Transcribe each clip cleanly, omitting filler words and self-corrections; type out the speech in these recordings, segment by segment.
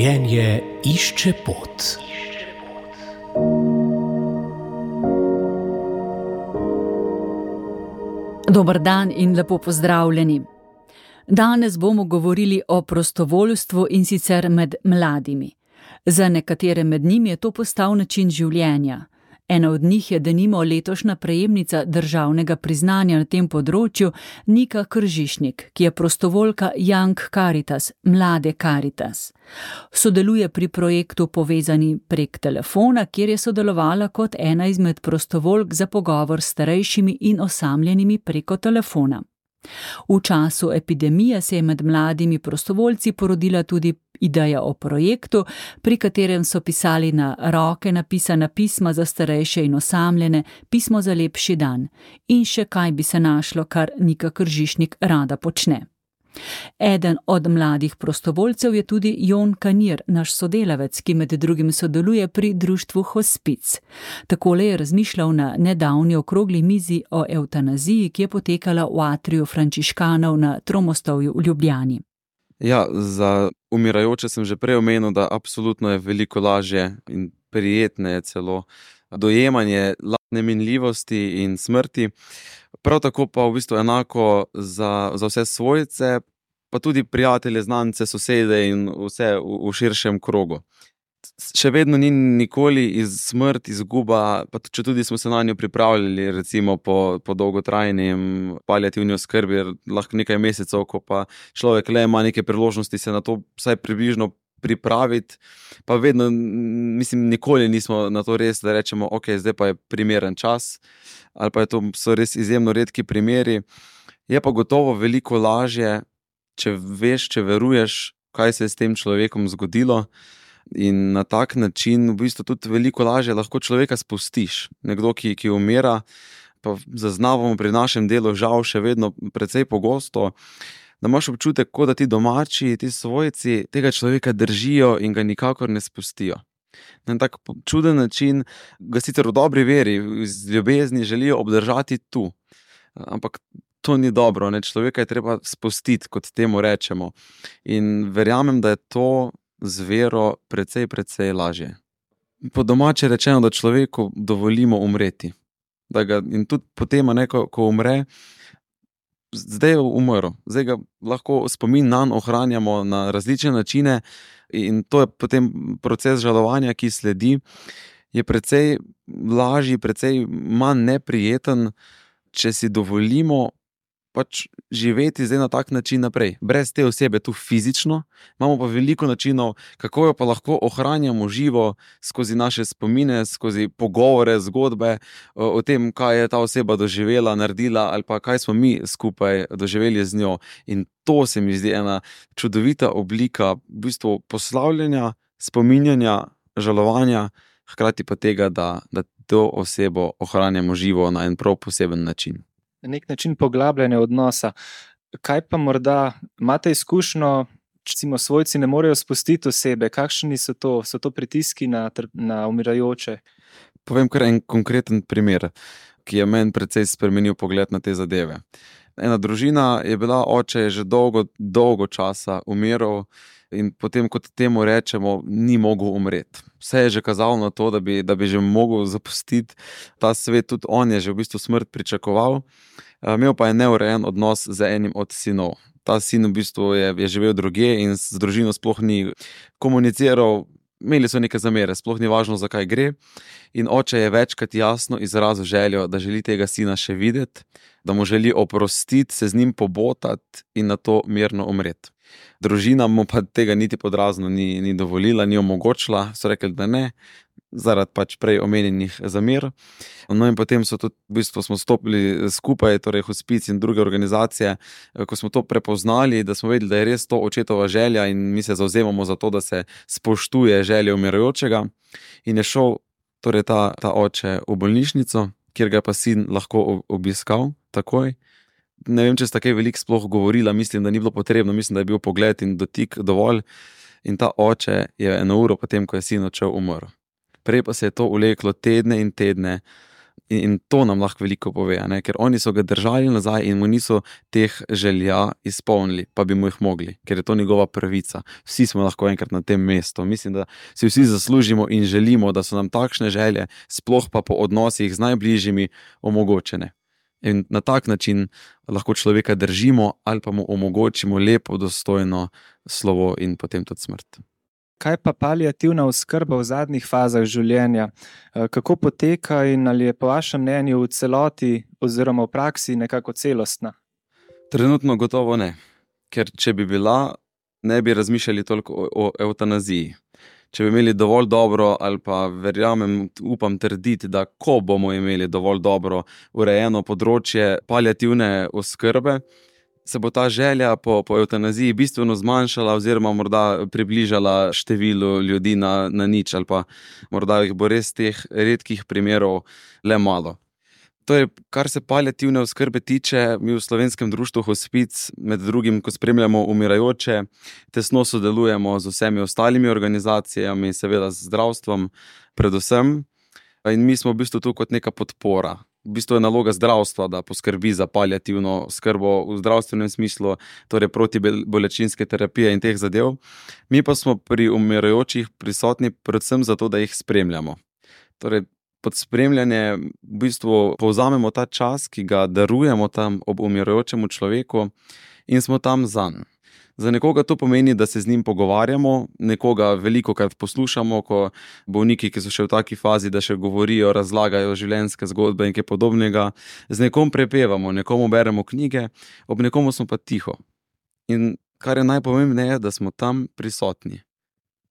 Življenje išče pot. Dober dan in lepo pozdravljeni. Danes bomo govorili o prostovoljstvu in sicer med mladimi. Za nekatere med njimi je to postal način življenja. Ena od njih je denimo letošnja prejemnica državnega priznanja na tem področju Nika Kržišnik, ki je prostovoljka Young Caritas, Mlade Caritas. Sodeluje pri projektu Povezani prek telefona, kjer je sodelovala kot ena izmed prostovoljk za pogovor s starejšimi in osamljenimi preko telefona. V času epidemije se je med mladimi prostovoljci porodila tudi ideja o projektu, pri katerem so pisali na roke napisana pisma za starejše in osamljene, pismo za lepši dan in še kaj bi se našlo, kar Nika Kržišnik rada počne. Eden od mladih prostovoljcev je tudi Jon Kanir, naš sodelavec, ki med drugim sodeluje pri društvu Hospic. Takole je razmišljal na nedavni okrogli mizi o evtanaziji, ki je potekala v atriju frančiškanov na Tromostovju v Ljubljani. Ja, za umirajoče sem že prej omenil, da absolutno je veliko lažje in prijetne celo dojemanje lastne minljivosti in smrti. Prav tako pa v bistvu enako za vse svojce, pa tudi prijatelje, znance, sosede in vse v širšem krogu. Še vedno ni nikoli smrt, izguba, pa če tudi smo se na njo pripravljali, recimo po dolgotrajnem paliativni oskrbi, lahko nekaj mesecev, ko pa človek le ima neke priložnosti se na to vsaj približno pripraviti, pa vedno, nikoli nismo na to res, da rečemo, ok, zdaj pa je primeren čas, ali pa so res izjemno redki primeri. Je pa gotovo veliko lažje, če veš, če veruješ, kaj se je s tem človekom zgodilo, in na tak način v bistvu tudi veliko lažje lahko človeka spustiš. Nekdo, ki umira, pa zaznavamo pri našem delu žal še vedno precej pogosto, da imaš občutek, kot da ti domači, ti svojci tega človeka držijo in ga nikakor ne spustijo. Na tak čuden način ga sicer v dobri veri, z ljubezni želijo obdržati tu. Ampak to ni dobro, ne? Človeka je treba spustiti, kot temu rečemo. In verjamem, da je to z vero precej lažje. Po domače rečeno, da človeku dovolimo umreti. In tudi potem, ko umre, zdaj je umrl. Zdaj ga lahko spomin nanj ohranjamo na različne načine in to je potem proces žalovanja, ki sledi, je precej lažji, precej manj neprijeten, če si dovolimo pač živeti zdaj na tak način naprej. Brez te osebe tu fizično, imamo pa veliko načinov, kako jo pa lahko ohranjamo živo skozi naše spomine, skozi pogovore, zgodbe o tem, kaj je ta oseba doživela, naredila ali pa kaj smo mi skupaj doživeli z njo. In to se mi zdi ena čudovita oblika v bistvu poslavljanja, spominjanja, žalovanja, hkrati pa tega, da to osebo ohranjamo živo na en prav poseben način. Na nek način poglabljanje odnosa. Kaj pa morda imate izkušnjo, recimo svojci ne morejo spustiti osebe, kakšni so to? So to pritiski na umirajoče? Povem kar en konkreten primer, ki je meni precej spremenil pogled na te zadeve. Ena družina je bila, oče je že dolgo časa umiral in potem, kot temu rečemo, ni mogel umreti. Vse je že kazalo na to, da bi že mogel zapustiti ta svet, tudi on je že v bistvu smrt pričakoval. Imel pa je neurejen odnos z enim od sinov. Ta sin v bistvu je živel drugje in z družino sploh ni komuniciral, imeli so neke zamere, sploh ni važno, za kaj gre. In oče je večkrat jasno izrazil željo, da želi tega sina še videti, da mu želi oprostiti, se z njim pobotati in na to mirno umreti. Družina mu pa tega niti podrazno ni dovolila, ni omogočila, so rekli, da ne, zaradi pač prej omenjenih zamer. No in potem v bistvu smo stopili skupaj, torej Hospic in druge organizacije, ko smo to prepoznali, da smo vedeli, da je res to očetova želja in mi se zavzemamo za to, da se spoštuje želje umirajočega. In je šel torej ta oče v bolnišnico, kjer ga je pa sin lahko obiskal takoj. Ne vem, če sta kaj veliko sploh govorila, mislim, da ni bilo potrebno, mislim, da je bil pogled in dotik dovolj. In ta oče je 1 uro potem, ko je sin odšel, umrl. Prej pa se je to vleklo tedne in tedne. In to nam lahko veliko pove, ne? Ker oni so ga držali nazaj in mu niso teh želja izpolnili, pa bi mu jih mogli, ker je to njegova pravica. Vsi smo lahko enkrat na tem mestu. Mislim, da si vsi zaslužimo in želimo, da so nam takšne želje, sploh pa po odnosih z najbližjimi, omogočene. In na tak način lahko človeka držimo ali pa mu omogočimo lepo, dostojno slovo in potem tudi smrt. Kaj pa paliativna oskrba v zadnjih fazah življenja? Kako poteka in ali je po vašem mnenju v celoti oziroma v praksi nekako celostna? Trenutno gotovo ne. Ker če bi bila, ne bi razmišljali toliko o evtanaziji. Če bi imeli dovolj dobro ali pa verjamem, upam trditi, da ko bomo imeli dovolj dobro urejeno področje paliativne oskrbe, se bo ta želja po evtanaziji bistveno zmanjšala oziroma morda približala število ljudi na nič ali pa morda jih bo res teh redkih primerov le malo. Torej, kar se paliativne oskrbe tiče, mi v Slovenskem društvu Hospic, med drugim, ko spremljamo umirajoče, tesno sodelujemo z vsemi ostalimi organizacijami, seveda z zdravstvom predvsem. In mi smo v bistvu tu kot neka podpora. V bistvu je naloga zdravstva, da poskrbi za paliativno oskrbo v zdravstvenem smislu, torej protibolečinske terapije in teh zadev. Mi pa smo pri umirajočih prisotni predvsem zato, da jih spremljamo. Torej, pod spremljanje v bistvu povzamemo ta čas, ki ga darujemo tam ob umirajočemu človeku in smo tam zanj. Za nekoga to pomeni, da se z njim pogovarjamo, nekoga velikokrat poslušamo, ko bolniki, ki so še v taki fazi, da še govorijo, razlagajo življenjske zgodbe in kaj podobnega, z nekom prepevamo, nekomu beremo knjige, ob nekomu smo pa tiho. In kar je najpomembneje, da smo tam prisotni.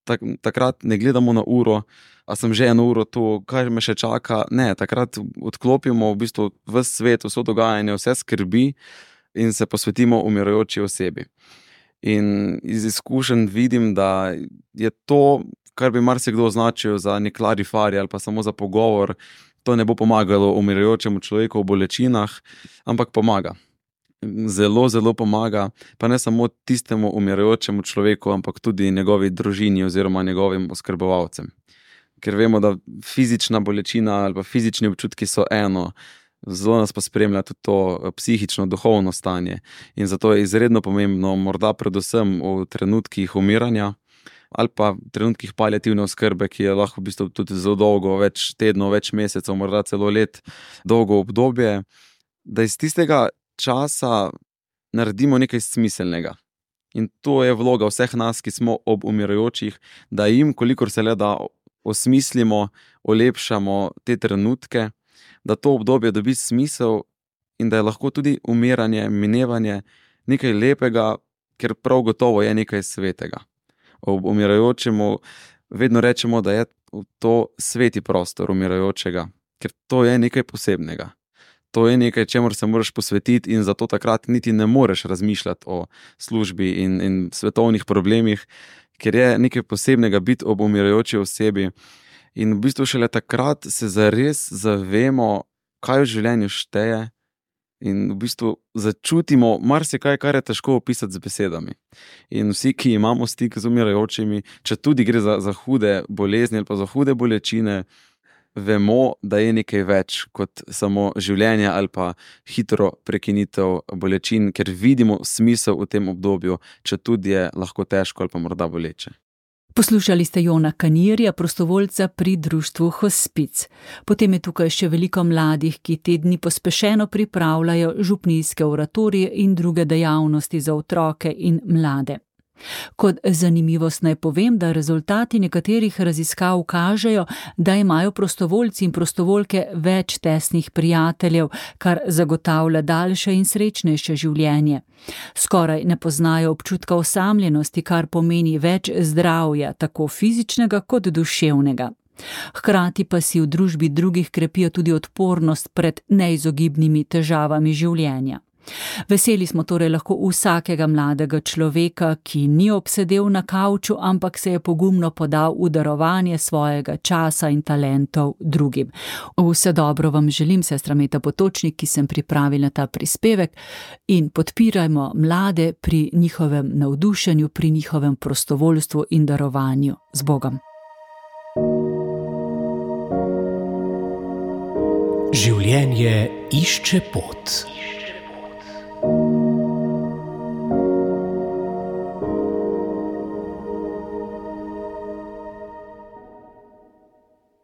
Takrat ne gledamo na uro, a sem že 1 uro tu, kaj me še čaka. Ne, takrat odklopimo v bistvu ves svet, vso dogajanje, vse skrbi in se posvetimo umirajoči osebi. In iz izkušenj vidim, da je to, kar bi marsikdo označil za nek larifari ali pa samo za pogovor, to ne bo pomagalo umirajočemu človeku v bolečinah, ampak pomaga. Zelo, zelo pomaga, pa ne samo tistemu umirajočemu človeku, ampak tudi njegovi družini oziroma njegovim oskrbovalcem. Ker vemo, da fizična bolečina ali pa fizični občutki so eno, zelo nas pa spremlja tudi to psihično, duhovno stanje. In zato je izredno pomembno, morda predvsem v trenutkih umiranja ali pa v trenutkih paliativne oskrbe, ki je lahko v bistvu tudi zelo dolgo, več tednov, več mesecev, morda celo let, dolgo obdobje, da iz tistega časa naredimo nekaj smiselnega. In to je vloga vseh nas, ki smo ob umirajočih, da jim, kolikor se le da, osmislimo, olepšamo te trenutke, da to obdobje dobi smisel in da je lahko tudi umiranje, minevanje nekaj lepega, ker prav gotovo je nekaj svetega. Ob umirajočemu vedno rečemo, da je to sveti prostor umirajočega, ker to je nekaj posebnega. To je nekaj, čemur se moraš posvetiti in zato takrat niti ne moreš razmišljati o službi in svetovnih problemih, ker je nekaj posebnega biti ob umirajoči osebi. In v bistvu šele takrat se zares zavemo, kaj v življenju šteje in v bistvu začutimo marsikaj, kar je težko opisati z besedami. In vsi, ki imamo stik z umirajočimi, če tudi gre za hude bolezni ali pa za hude bolečine, vemo, da je nekaj več kot samo življenje ali pa hitro prekinitev bolečin, ker vidimo smisel v tem obdobju, če tudi je lahko težko ali pa morda boleče. Poslušali ste Jona Kanirja, prostovoljca pri društvu Hospic. Potem je tukaj še veliko mladih, ki te dni pospešeno pripravljajo župnijske oratorije in druge dejavnosti za otroke in mlade. Kot zanimivost naj povem, da rezultati nekaterih raziskav kažejo, da imajo prostovoljci in prostovoljke več tesnih prijateljev, kar zagotavlja daljše in srečnejše življenje. Skoraj ne poznajo občutka osamljenosti, kar pomeni več zdravja, tako fizičnega kot duševnega. Hkrati pa si v družbi drugih krepijo tudi odpornost pred neizogibnimi težavami življenja. Veseli smo torej lahko vsakega mladega človeka, ki ni obsedel na kavču, ampak se je pogumno podal v darovanje svojega časa in talentov drugim. Vse dobro vam želim, sestra Meta Potočnik, ki sem pripravila ta prispevek, in podpirajmo mlade pri njihovem navdušenju, pri njihovem prostovoljstvu in darovanju. Z Bogom. Življenje išče pot.